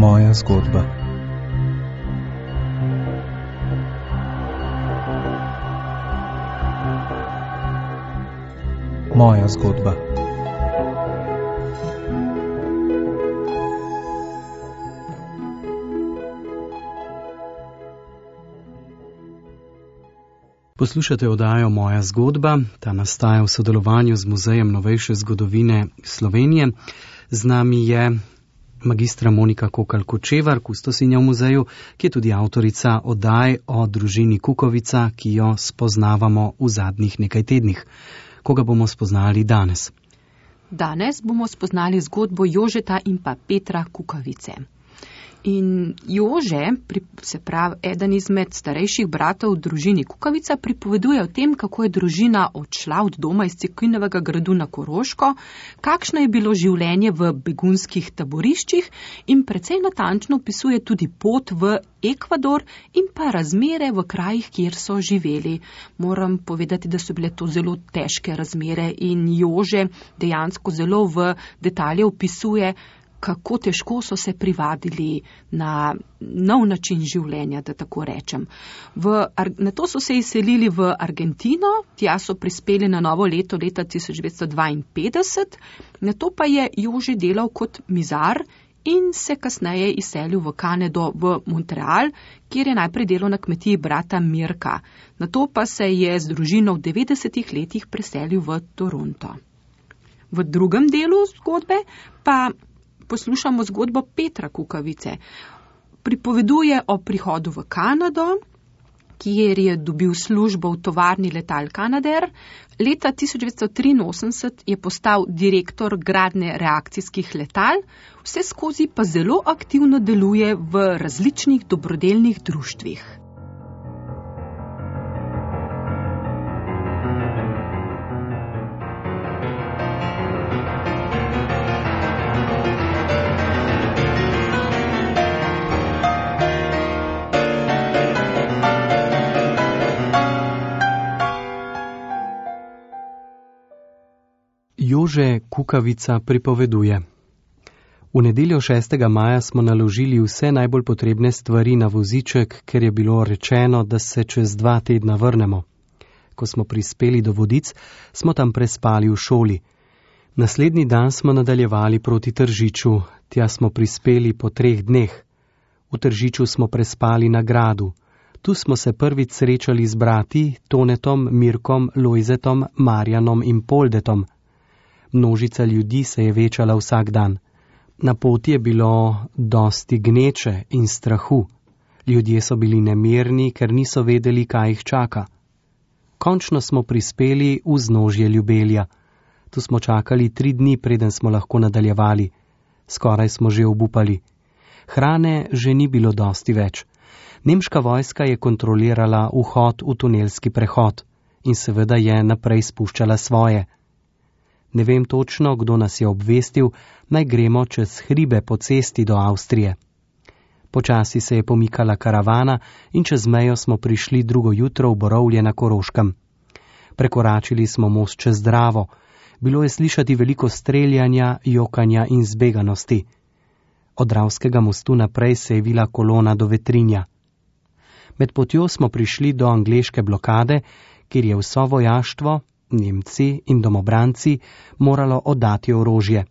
Moja zgodba. Moja zgodba. Poslušate oddajo Moja zgodba, ta nastaja v sodelovanju z Muzejem novejše zgodovine Slovenije. Z nami je magistra Monika Kokalj-Kočevar, kustosinja v muzeju, ki je tudi avtorica oddaj o družini Kukovica, ki jo spoznavamo v zadnjih nekaj tednih. Koga bomo spoznali danes? Danes bomo spoznali zgodbo Jožeta in pa Petra Kukovice. In Jože, se pravi eden izmed starejših bratov v družini Kukovica, pripoveduje o tem, kako je družina odšla od doma iz Cekinovega gradu na Koroško, kakšno je bilo življenje v begunskih taboriščih in precej natančno opisuje tudi pot v Ekvador in pa razmere v krajih, kjer so živeli. Moram povedati, da so bile to zelo težke razmere in Jože dejansko zelo v detalje opisuje, kako težko so se privadili na nov način življenja, da tako rečem. Nato so se izselili v Argentino, tja so prispeli na novo leto leta 1952, nato pa je Jože delal kot mizar in se kasneje izselil v Kanado, v Montreal, kjer je najprej delal na kmetiji brata Mirka. Nato pa se je z družino v 90-ih letih preselil v Toronto. V drugem delu zgodbe pa poslušamo zgodbo Petra Kukovice. Pripoveduje o prihodu v Kanado, kjer je dobil službo v tovarni letal Canadair. Leta 1983 je postal direktor gradnje reakcijskih letal, vse skozi pa zelo aktivno deluje v različnih dobrodelnih društvih. Jože Kukovica pripoveduje. V nedeljo 6. maja smo naložili vse najbolj potrebne stvari na voziček, ker je bilo rečeno, da se čez 2 tedna vrnemo. Ko smo prispeli do Vodic, smo tam prespali v šoli. Naslednji dan smo nadaljevali proti Tržiču, tja smo prispeli po 3 dneh. V Tržiču smo prespali na gradu. Tu smo se prvič srečali z brati Tonetom, Mirkom, Lojzetom, Marjanom in Poldetom. Množica ljudi se je večala vsak dan. Na poti je bilo dosti gneče in strahu. Ljudje so bili nemirni, ker niso vedeli, kaj jih čaka. Končno smo prispeli v vznožje Ljubelja. Tu smo čakali 3 dni, preden smo lahko nadaljevali. Skoraj smo že obupali. Hrane že ni bilo dosti več. Nemška vojska je kontrolirala vhod v tunelski prehod in seveda je naprej spuščala svoje. Ne vem točno, kdo nas je obvestil, naj gremo čez hribe po cesti do Avstrije. Počasi se je pomikala karavana in čez mejo smo prišli drugo jutro v Borovlje na Koroškem. Prekoračili smo most čez Dravo. Bilo je slišati veliko streljanja, jokanja in zbeganosti. Od Dravskega mostu naprej se je vila kolona do Vetrinja. Med potjo smo prišli do angleške blokade, kjer je vso vojaštvo, Nemci in domobranci, moralo oddati orožje.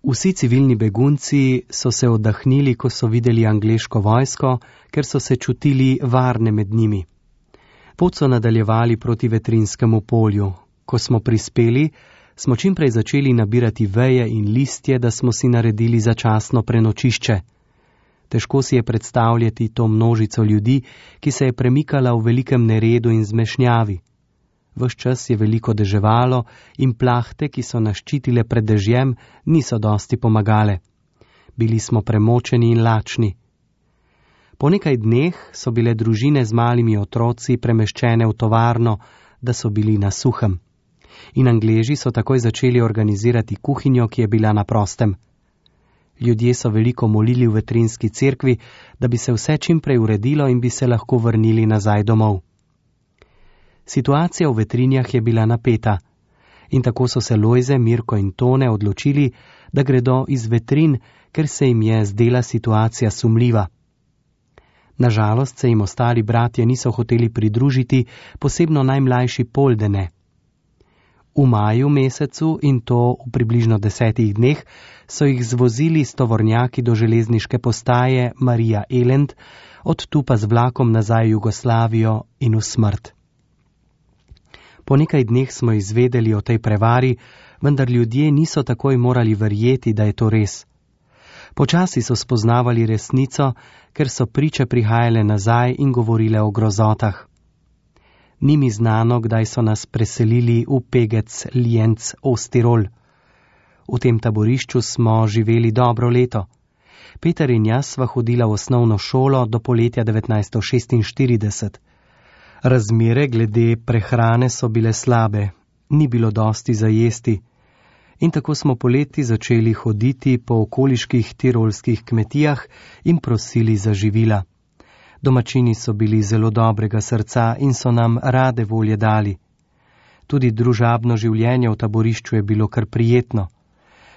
Vsi civilni begunci so se oddahnili, ko so videli angleško vojsko, ker so se čutili varne med njimi. Pot so nadaljevali proti Vetrinskemu polju. Ko smo prispeli, smo čimprej začeli nabirati veje in listje, da smo si naredili začasno prenočišče. Težko si je predstavljati to množico ljudi, ki se je premikala v velikem neredu in zmešnjavi. Ves čas je veliko deževalo in plahte, ki so nas ščitile pred dežjem, niso dosti pomagale. Bili smo premočeni in lačni. Po nekaj dneh so bile družine z malimi otroci premeščene v tovarno, da so bili na suhem. In Angleži so takoj začeli organizirati kuhinjo, ki je bila na prostem. Ljudje so veliko molili v Vetrinski cerkvi, da bi se vse čimprej uredilo in bi se lahko vrnili nazaj domov. Situacija v Vetrinjah je bila napeta. In tako so se Lojze, Mirko in Tone odločili, da gredo iz Vetrin, ker se jim je zdela situacija sumljiva. Nažalost se jim ostali bratje niso hoteli pridružiti, posebno najmlajši Poldene. V maju mesecu, in to v približno 10 dneh, so jih zvozili s tovornjaki do železniške postaje Marija Elend, od tu pa z vlakom nazaj v Jugoslavijo in v smrt. Po nekaj dneh smo izvedeli o tej prevari, vendar ljudje niso takoj morali verjeti, da je to res. Počasi so spoznavali resnico, ker so priče prihajale nazaj in govorile o grozotah. Ni mi znano, kdaj so nas preselili v Pegec, Lienz, Ostirol. V tem taborišču smo živeli dobro leto. Peter in jaz sva hodila v osnovno šolo do poletja 1946. Razmere glede prehrane so bile slabe, ni bilo dosti za jesti. In tako smo poleti začeli hoditi po okoliških tirolskih kmetijah in prosili za živila. Domačini so bili zelo dobrega srca in so nam rade volje dali. Tudi družabno življenje v taborišču je bilo kar prijetno.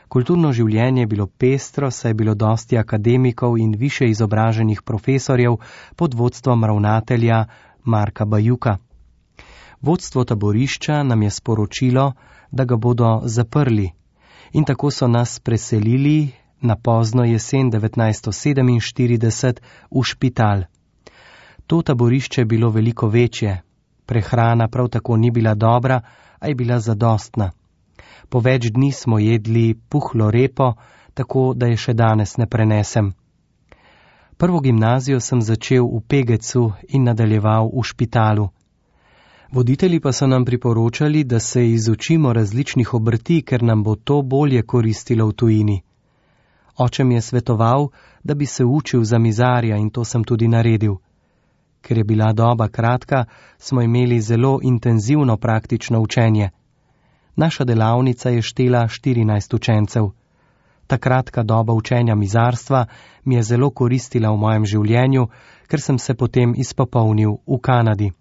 Kulturno življenje je bilo pestro, saj je bilo dosti akademikov in više izobraženih profesorjev pod vodstvom ravnatelja Marka Bajuka. Vodstvo taborišča nam je sporočilo, da ga bodo zaprli, in tako so nas preselili na pozno jesen 1947 v Špital. To taborišče je bilo veliko večje. Prehrana prav tako ni bila dobra, a je bila zadostna. Po več dni smo jedli puhlo repo, tako da je še danes ne prenesem. Prvo gimnazijo sem začel v Pegecu in nadaljeval v Špitalu. Voditelji pa so nam priporočali, da se izučimo različnih obrti, ker nam bo to bolje koristilo v tujini. Oče mi je svetoval, da bi se učil za mizarja, in to sem tudi naredil. Ker je bila doba kratka, smo imeli zelo intenzivno praktično učenje. Naša delavnica je štela 14 učencev. Ta kratka doba učenja mizarstva mi je zelo koristila v mojem življenju, ker sem se potem izpopolnil v Kanadi.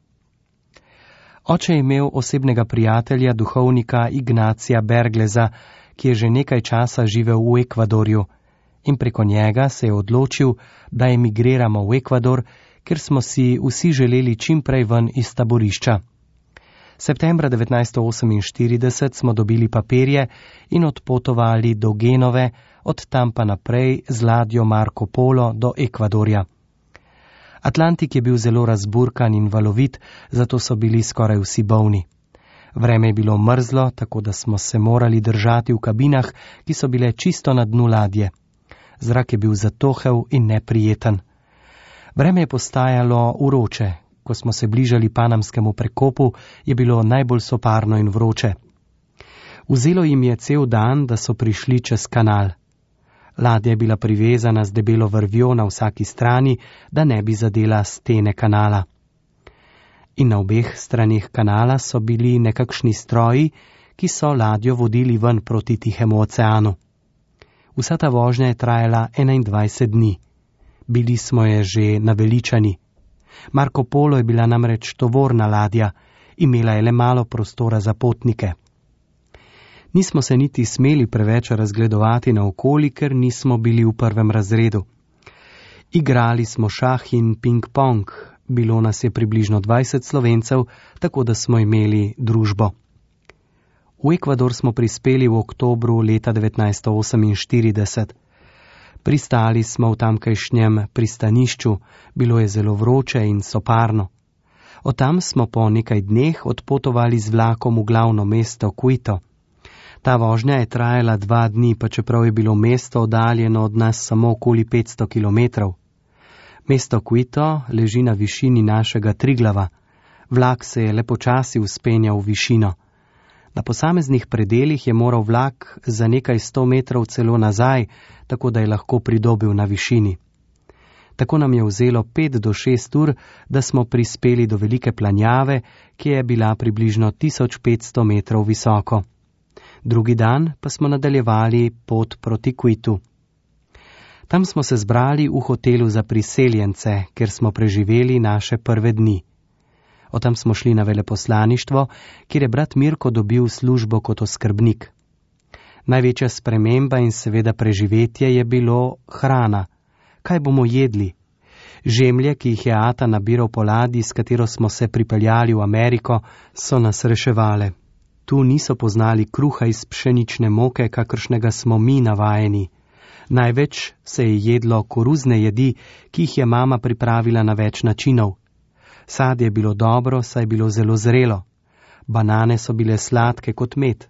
Oče je imel osebnega prijatelja, duhovnika Ignacija Bergleza, ki je že nekaj časa živel v Ekvadorju, in preko njega se je odločil, da emigriramo v Ekvador, ker smo si vsi želeli čim prej ven iz taborišča. Septembra 1948 smo dobili papirje in odpotovali do Genove, od tam pa naprej z ladjo Marco Polo do Ekvadorja. Atlantik je bil zelo razburkan in valovit, zato so bili skoraj vsi bolni. Vreme je bilo mrzlo, tako da smo se morali držati v kabinah, ki so bile čisto na dnu ladje. Zrak je bil zatohel in neprijeten. Vreme je postajalo vroče. Ko smo se bližali panamskemu prekopu, je bilo najbolj soparno in vroče. Vzelo jim je cel dan, da so prišli čez kanal. Ladja je bila privezana z debelo vrvjo na vsaki strani, da ne bi zadela stene kanala. In na obeh stranih kanala so bili nekakšni stroji, ki so ladjo vodili ven proti Tihemu oceanu. Vsa ta vožnja je trajala 21 dni. Bili smo je že naveličani. Marco Polo je bila namreč tovorna ladja, imela je le malo prostora za potnike. Nismo se niti smeli preveč razgledovati naokoli, ker nismo bili v prvem razredu. Igrali smo šah in ping-pong, bilo nas je približno 20 Slovencev, tako da smo imeli družbo. V Ekvador smo prispeli v oktobru leta 1948. Pristali smo v tamkajšnjem pristanišču, bilo je zelo vroče in soparno. Od tam smo po nekaj dneh odpotovali z vlakom v glavno mesto Quito. Ta vožnja je trajala 2 dni, pa čeprav je bilo mesto oddaljeno od nas samo okoli 500 kilometrov. Mesto Quito leži na višini našega Triglava. Vlak se je le počasi vzpenjal v višino. Na posameznih predelih je moral vlak za nekaj 100 metrov celo nazaj, tako da je lahko pridobil na višini. Tako nam je vzelo 5 do 6 ur, da smo prispeli do velike planjave, ki je bila približno 1500 metrov visoko. Drugi dan pa smo nadaljevali pot proti Quitu. Tam smo se zbrali v hotelu za priseljence, ker smo preživeli naše prve dni. Od tam smo šli na veleposlaništvo, kjer je brat Mirko dobil službo kot oskrbnik. Največja sprememba in seveda preživetje je bilo hrana. Kaj bomo jedli? Žemlje, ki jih je ata nabiral po ladji, s katero smo se pripeljali v Ameriko, so nas reševale. Tu niso poznali kruha iz pšenične moke, kakršnega smo mi navajeni. Največ se je jedlo koruzne jedi, ki jih je mama pripravila na več načinov. Sadje je bilo dobro, saj je bilo zelo zrelo. Banane so bile sladke kot med.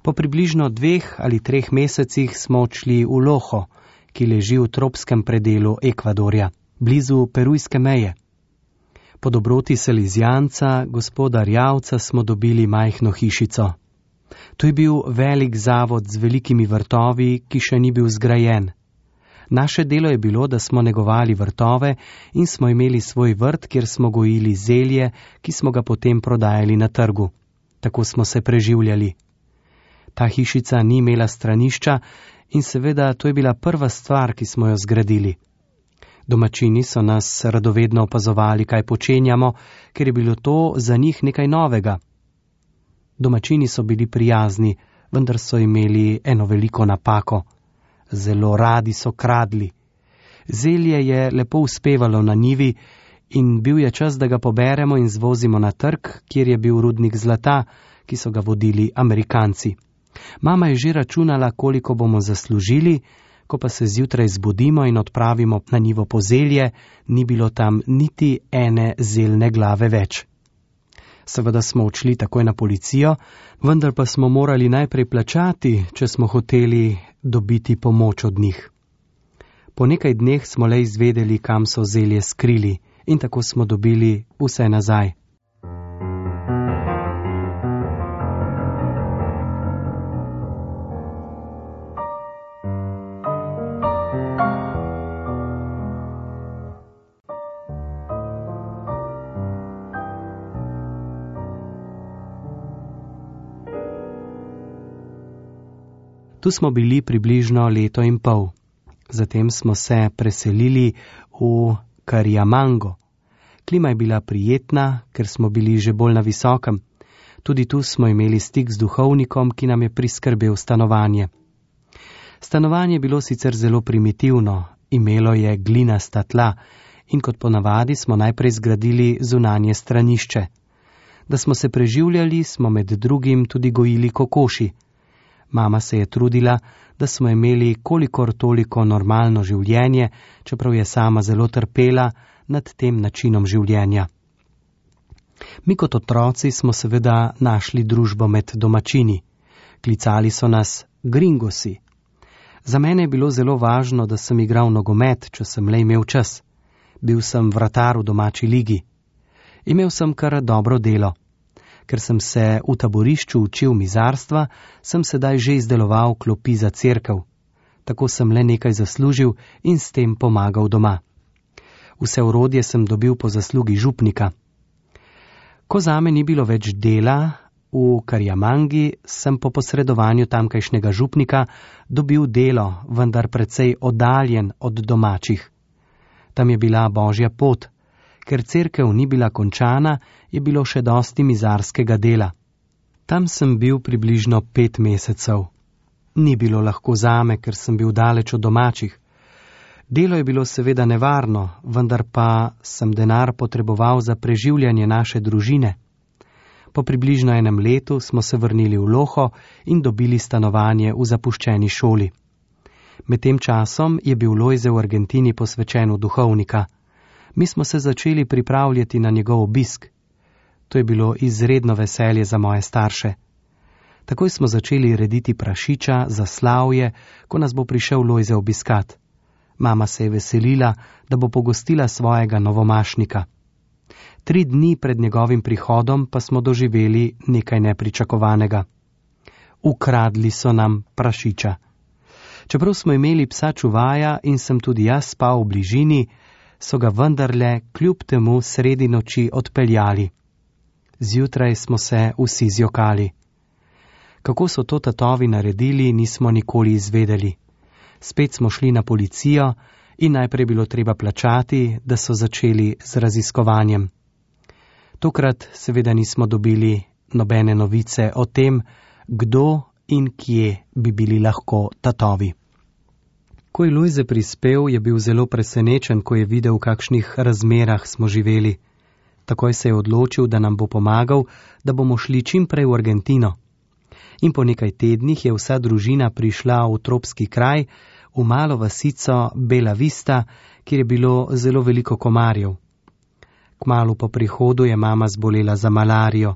Po približno 2 ali 3 mesecih smo odšli v Loho, ki leži v tropskem predelu Ekvadorja, blizu perujske meje. Po dobroti Salizijanca, gospoda Rjavca, smo dobili majhno hišico. To je bil velik zavod z velikimi vrtovi, ki še ni bil zgrajen. Naše delo je bilo, da smo negovali vrtove in smo imeli svoj vrt, kjer smo gojili zelje, ki smo ga potem prodajali na trgu. Tako smo se preživljali. Ta hišica ni imela stranišča in seveda to je bila prva stvar, ki smo jo zgradili. Domačini so nas radovedno opazovali, kaj počenjamo, ker je bilo to za njih nekaj novega. Domačini so bili prijazni, vendar so imeli eno veliko napako. Zelo radi so kradli. Zelje je lepo uspevalo na njivi in bil je čas, da ga poberemo in zvozimo na trg, kjer je bil rudnik zlata, ki so ga vodili Amerikanci. Mama je že računala, koliko bomo zaslužili, ko pa se zjutraj zbudimo in odpravimo na njivo po zelje, ni bilo tam niti ene zeljne glave več. Seveda smo odšli takoj na policijo, vendar pa smo morali najprej plačati, če smo hoteli dobiti pomoč od njih. Po nekaj dneh smo le izvedeli, kam so zelje skrili in tako smo dobili vse nazaj. Tu smo bili približno 1,5 leta. Zatem smo se preselili v Cariamango. Klima je bila prijetna, ker smo bili že bolj na visokem. Tudi tu smo imeli stik z duhovnikom, ki nam je priskrbel stanovanje. Stanovanje je bilo sicer zelo primitivno, imelo je glinasta tla in kot ponavadi smo najprej zgradili zunanje stranišče. Da smo se preživljali, smo med drugim tudi gojili kokoši. Mama se je trudila, da smo imeli kolikor toliko normalno življenje, čeprav je sama zelo trpela nad tem načinom življenja. Mi kot otroci smo seveda našli družbo med domačini. Klicali so nas gringosi. Za mene je bilo zelo važno, da sem igral nogomet, če sem le imel čas. Bil sem vratar v domači ligi. Imel sem kar dobro delo. Ker sem se v taborišču učil mizarstva, sem sedaj že izdeloval klopi za cerkev. Tako sem le nekaj zaslužil in s tem pomagal doma. Vse orodje sem dobil po zaslugi župnika. Ko zame ni bilo več dela, v Cariamangi sem po posredovanju tamkajšnjega župnika dobil delo, vendar precej oddaljen od domačih. Tam je bila božja pot. Ker cerkev ni bila končana, je bilo še dosti mizarskega dela. Tam sem bil približno 5 mesecev. Ni bilo lahko zame, ker sem bil daleč od domačih. Delo je bilo seveda nevarno, vendar pa sem denar potreboval za preživljanje naše družine. Po približno 1 letu smo se vrnili v Loho in dobili stanovanje v zapuščeni šoli. Med tem časom je bil Lojze v Argentini posvečen v duhovnika. Mi smo se začeli pripravljati na njegov obisk. To je bilo izredno veselje za moje starše. Takoj smo začeli rediti prašiča za slavje, ko nas bo prišel Lojze obiskat. Mama se je veselila, da bo pogostila svojega novomašnika. 3 dni pred njegovim prihodom pa smo doživeli nekaj nepričakovanega. Ukradli so nam prašiča. Čeprav smo imeli psa čuvaja in sem tudi jaz spal v bližini, so ga vendarle kljub temu sredi noči odpeljali. Zjutraj smo se vsi zjokali. Kako so to tatovi naredili, nismo nikoli izvedeli. Spet smo šli na policijo in najprej bilo treba plačati, da so začeli z raziskovanjem. Tokrat seveda nismo dobili nobene novice o tem, kdo in kje bi bili lahko tatovi. Ko je Lojze prispel, je bil zelo presenečen, ko je videl, v kakšnih razmerah smo živeli. Takoj se je odločil, da nam bo pomagal, da bomo šli čim prej v Argentino. In po nekaj tednih je vsa družina prišla v tropski kraj, v malo vasico Bela Vista, kjer je bilo zelo veliko komarjev. Kmalu po prihodu je mama zbolela za malarijo.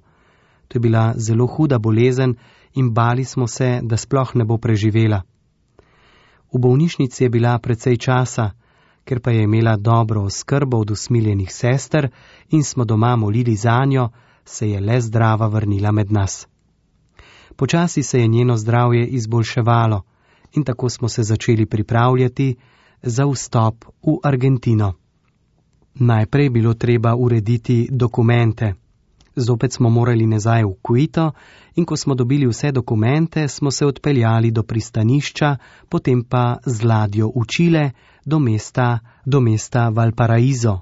To je bila zelo huda bolezen in bali smo se, da sploh ne bo preživela. V bolnišnici je bila precej časa, ker pa je imela dobro oskrbo od usmiljenih sester in smo doma molili zanjo, se je le zdrava vrnila med nas. Počasi se je njeno zdravje izboljševalo in tako smo se začeli pripravljati za vstop v Argentino. Najprej bilo treba urediti dokumente. Zopet smo morali nazaj v Quito in ko smo dobili vse dokumente, smo se odpeljali do pristanišča, potem pa z ladjo v Čile do mesta Valparaíso.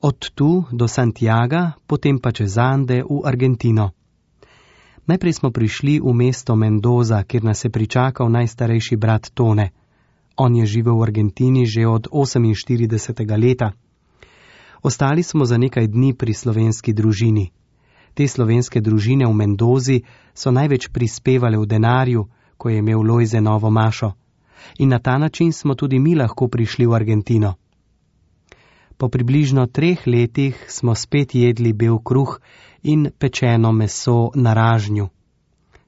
Od tu do Santiaga, potem pa čez Ande v Argentino. Najprej smo prišli v mesto Mendoza, kjer nas je pričakal najstarejši brat Tone. On je živel v Argentini že od 48. leta. Ostali smo za nekaj dni pri slovenski družini. Te slovenske družine v Mendozi so največ prispevale v denarju, ko je imel Lojze novo mašo. In na ta način smo tudi mi lahko prišli v Argentino. Po približno 3 letih smo spet jedli bel kruh in pečeno meso na ražnju.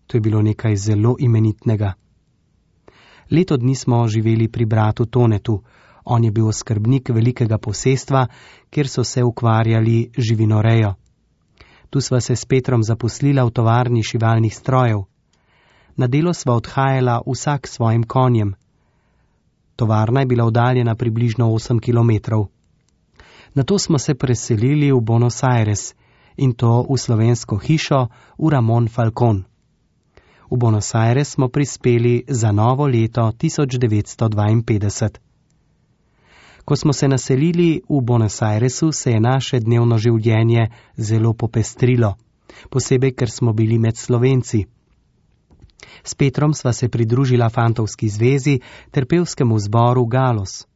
To je bilo nekaj zelo imenitnega. Leto dni smo živeli pri bratu Tonetu. On je bil oskrbnik velikega posestva, kjer so se ukvarjali živinorejo. Tu sva se s Petrom zaposlila v tovarni šivalnih strojev. Na delo sva odhajala vsak s svojim konjem. Tovarna je bila oddaljena približno 8 kilometrov. Nato smo se preselili v Buenos Aires in to v slovensko hišo v Ramon Falcón. V Buenos Aires smo prispeli za novo leto 1952. Ko smo se naselili v Buenos Airesu, se je naše dnevno življenje zelo popestrilo, posebej, ker smo bili med Slovenci. S Petrom sva se pridružila fantovski zvezi ter pevskemu zboru Galos.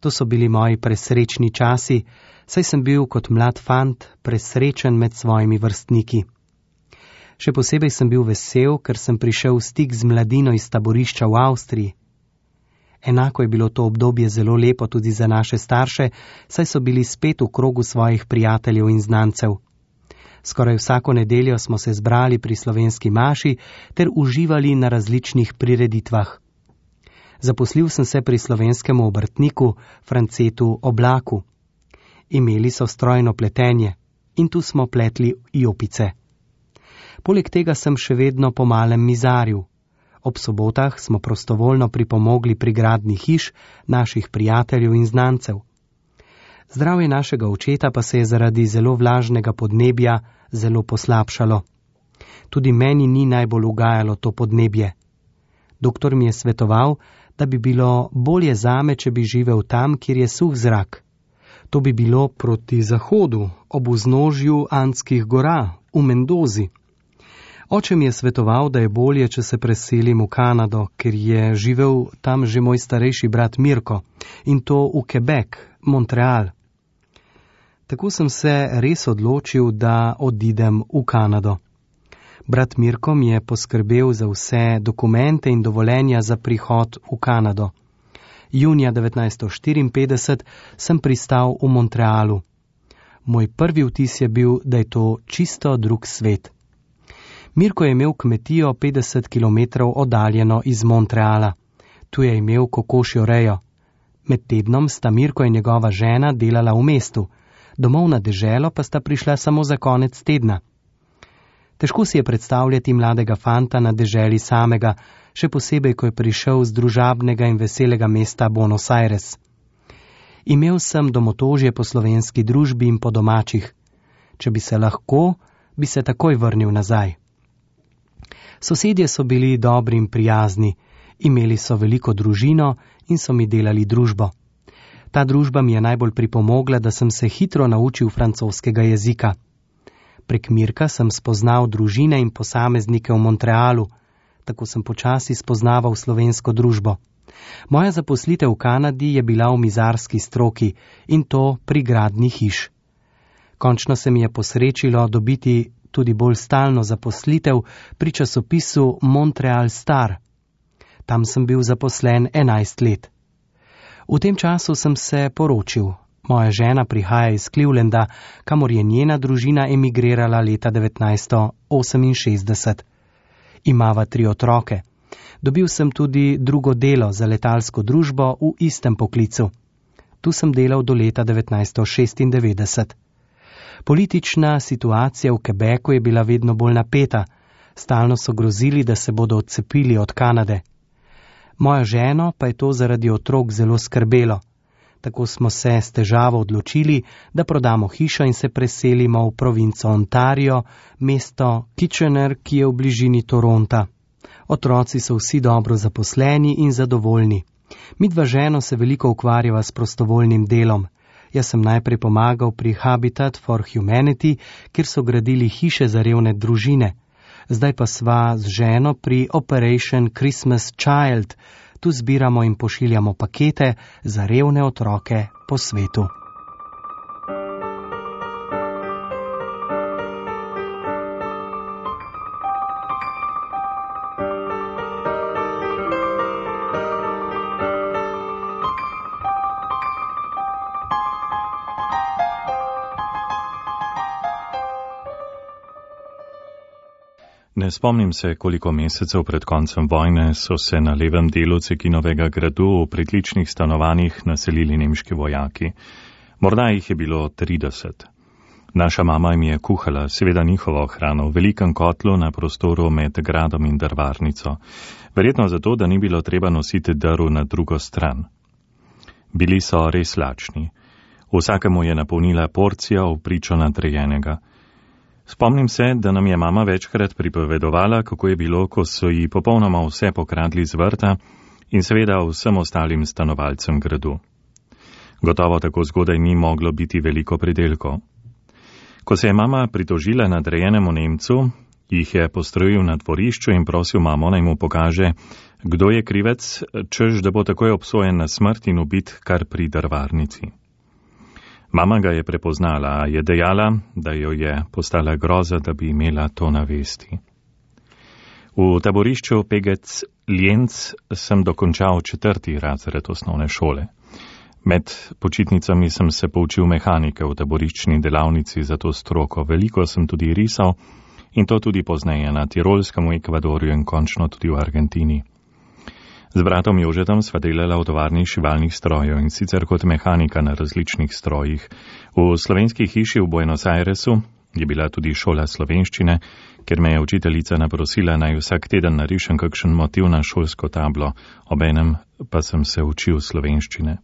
To so bili moji presrečni časi, saj sem bil kot mlad fant presrečen med svojimi vrstniki. Še posebej sem bil vesel, ker sem prišel v stik z mladino iz taborišča v Avstriji. Enako je bilo to obdobje zelo lepo tudi za naše starše, saj so bili spet v krogu svojih prijateljev in znancev. Skoraj vsako nedeljo smo se zbrali pri slovenski maši ter uživali na različnih prireditvah. Zaposlil sem se pri slovenskem obrtniku Francetu Oblaku. Imeli so strojno pletenje in tu smo pletli jopice. Poleg tega sem še vedno po malem mizaril. Ob sobotah smo prostovoljno pripomogli pri gradnji hiš naših prijateljev in znancev. Zdravje našega očeta pa se je zaradi zelo vlažnega podnebja zelo poslabšalo. Tudi meni ni najbolj ugajalo to podnebje. Doktor mi je svetoval, da bi bilo bolje zame, če bi živel tam, kjer je suh zrak. To bi bilo proti zahodu, ob vznožju Andskih gora, v Mendozi. Oče mi je svetoval, da je bolje, če se preselim v Kanado, ker je živel tam že moj starejši brat Mirko, in to v Quebec, Montreal. Tako sem se res odločil, da odidem v Kanado. Brat Mirko mi je poskrbel za vse dokumente in dovoljenja za prihod v Kanado. Junija 1954 sem pristal v Montrealu. Moj prvi vtis je bil, da je to čisto drug svet. Mirko je imel kmetijo 50 km oddaljeno iz Montreala. Tu je imel kokošjo rejo. Med tednom sta Mirko in njegova žena delala v mestu, domov na deželo pa sta prišla samo za konec tedna. Težko si je predstavljati mladega fanta na deželi samega, še posebej, ko je prišel z družabnega in veselega mesta Buenos Aires. Imel sem domotožje po slovenski družbi in po domačih. Če bi se lahko, bi se takoj vrnil nazaj. Sosedje so bili dobri in prijazni, imeli so veliko družino in so mi delali družbo. Ta družba mi je najbolj pripomogla, da sem se hitro naučil francoskega jezika. Prek Mirka sem spoznal družine in posameznike v Montrealu, tako sem počasi spoznaval slovensko družbo. Moja zaposlitev v Kanadi je bila v mizarski stroki in to pri gradnji hiš. Končno se mi je posrečilo dobiti tudi bolj stalno zaposlitev pri časopisu Montreal Star. Tam sem bil zaposlen 11 let. V tem času sem se poročil. Moja žena prihaja iz Clevelanda, kamor je njena družina emigrirala leta 1968. Imava 3 otroke. Dobil sem tudi drugo delo za letalsko družbo v istem poklicu. Tu sem delal do leta 1996. Politična situacija v Quebecu je bila vedno bolj napeta. Stalno so grozili, da se bodo odcepili od Kanade. Mojo ženo pa je to zaradi otrok zelo skrbelo. Tako smo se s težavo odločili, da prodamo hišo in se preselimo v provinco Ontario, mesto Kitchener, ki je v bližini Toronta. Otroci so vsi dobro zaposleni in zadovoljni. Midva ženo se veliko ukvarjava s prostovoljnim delom. Jaz sem najprej pomagal pri Habitat for Humanity, kjer so gradili hiše za revne družine. Zdaj pa sva z ženo pri Operation Christmas Child. Tu zbiramo in pošiljamo pakete za revne otroke po svetu. Ne spomnim se, koliko mesecev pred koncem vojne so se na levem delu Cekinovega gradu v pritličnih stanovanjih naselili nemški vojaki. Morda jih je bilo 30. Naša mama jim je kuhala, seveda njihovo hrano, v velikem kotlu na prostoru med gradom in drvarnico. Verjetno zato, da ni bilo treba nositi drv na drugo stran. Bili so res lačni. Vsakemu je napolnila porcija v pričo nadrejenega. Spomnim se, da nam je mama večkrat pripovedovala, kako je bilo, ko so ji popolnoma vse pokradli z vrta in seveda vsem ostalim stanovalcem gradu. Gotovo tako zgodaj ni moglo biti veliko pridelkov. Ko se je mama pritožila nadrejenemu Nemcu, jih je postrojil na dvorišču in prosil mamo, naj mu pokaže, kdo je krivec, češ da bo takoj obsojen na smrt in ubit kar pri drvarnici. Mama ga je prepoznala, a je dejala, da jo je postala groza, da bi imela to na vesti. V taborišču Pegec-Lienz sem dokončal 4. razred osnovne šole. Med počitnicami sem se poučil mehanike v taboriščni delavnici za to stroko. Veliko sem tudi risal in to tudi pozneje na Tirolskem, v Ekvadorju in končno tudi v Argentini. Z bratom Jožetom sva delala v tovarni šivalnih strojev in sicer kot mehanika na različnih strojih. V slovenski hiši v Buenos Airesu je bila tudi šola slovenščine, ker me je učiteljica naprosila, naj vsak teden narišem kakšen motiv na šolsko tablo, obenem pa sem se učil slovenščine.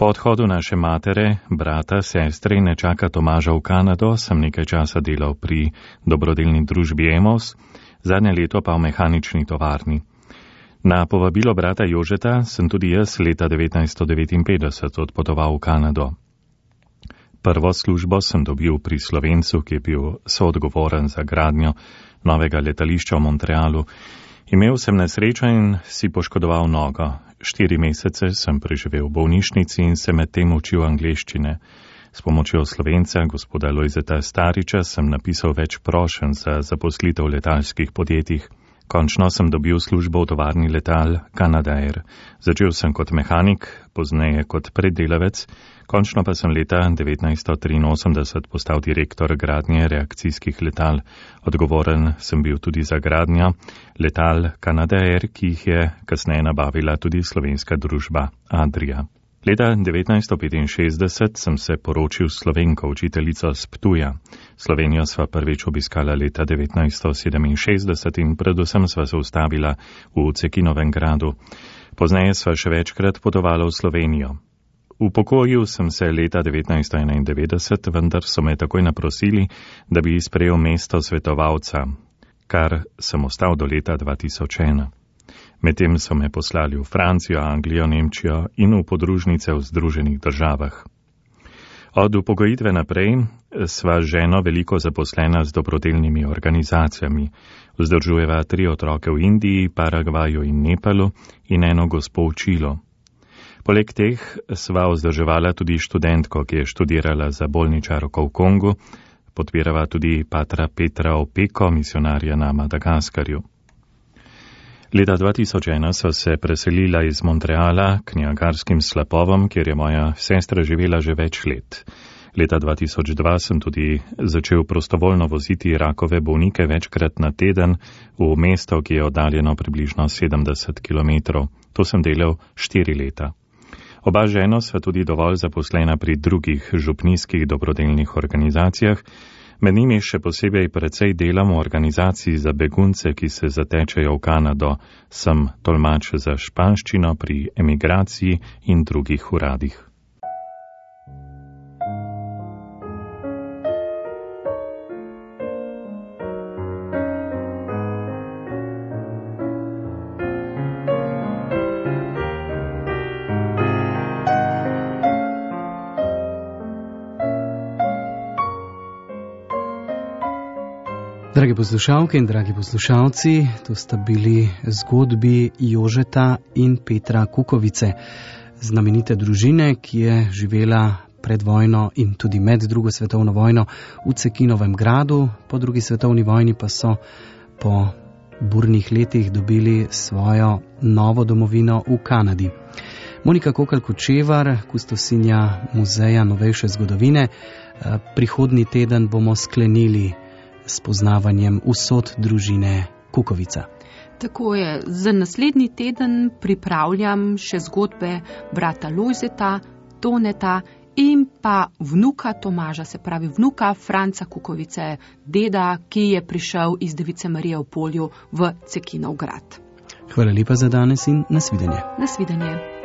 Po odhodu naše matere, brata, sestre in nečaka Tomaža v Kanado sem nekaj časa delal pri dobrodelni družbi Emos, zadnje leto pa v mehanični tovarni. Na povabilo brata Jožeta sem tudi jaz leta 1959 odpotoval v Kanado. Prvo službo sem dobil pri Slovencu, ki je bil soodgovoren za gradnjo novega letališča v Montrealu. Imel sem nesrečo in si poškodoval nogo. 4 mesece sem preživel v bolnišnici in se med tem učil angleščine. S pomočjo Slovenca, gospoda Lojzeta Stariča, sem napisal več prošenj za zaposlitev v letalskih podjetjih. Končno sem dobil službo v tovarni letal Canadair. Začel sem kot mehanik, pozneje kot preddelavec, končno pa sem leta 1983 postal direktor gradnje reakcijskih letal. Odgovoren sem bil tudi za gradnjo letal Canadair, ki jih je kasneje nabavila tudi slovenska družba Adria. Leta 1965 sem se poročil s Slovenko, učiteljico z Ptuja. Slovenijo sva prvič obiskala leta 1967 in predvsem sva se ustavila v Cekinovem gradu. Pozneje sva še večkrat potovala v Slovenijo. Upokojil sem se leta 1991, vendar so me takoj naprosili, da bi sprejel mesto svetovalca, kar sem ostal do leta 2001. Medtem so me poslali v Francijo, Anglijo, Nemčijo in v podružnice v Združenih državah. Od upokojitve naprej sva ženo veliko zaposlena z dobrodelnimi organizacijami. Vzdržujeva 3 otroke v Indiji, Paragvaju in Nepalu in eno gospo v Čilu. Poleg teh sva vzdrževala tudi študentko, ki je študirala za bolničarko v Kongu, podpirava tudi patra Petra Opeko, misionarja na Madagaskarju. Leta 2001 sva se preselila iz Montreala k Niagarskim slapovom, kjer je moja sestra živela že več let. Leta 2002 sem tudi začel prostovoljno voziti rakove bolnike večkrat na teden v mesto, ki je oddaljeno približno 70 km. To sem delal 4 leta. Oba ženo sva tudi dovolj zaposlena pri drugih župnijskih dobrodelnih organizacijah, med njimi še posebej precej delam v organizaciji za begunce, ki se zatečejo v Kanado, sem tolmač za španščino pri emigraciji in drugih uradih. Dragi poslušalke in dragi poslušalci, to sta bili zgodbi Jožeta in Petra Kukovice, znamenite družine, ki je živela pred vojno in tudi med drugo svetovno vojno v Cekinovem gradu, po drugi svetovni vojni pa so po burnih letih dobili svojo novo domovino v Kanadi. Monika Kokalj-Kočevar, kustosinja Muzeja novejše zgodovine, prihodnji teden bomo sklenili s poznavanjem usod družine Kukovica. Tako je, za naslednji teden pripravljam še zgodbe brata Lojzeta, Toneta in pa vnuka Tomaža, se pravi vnuka Franca Kukovice, deda, ki je prišel iz Device Marije v Polju v Cekinov grad. Hvala lepa za danes in nasvidenje. Nasvidenje.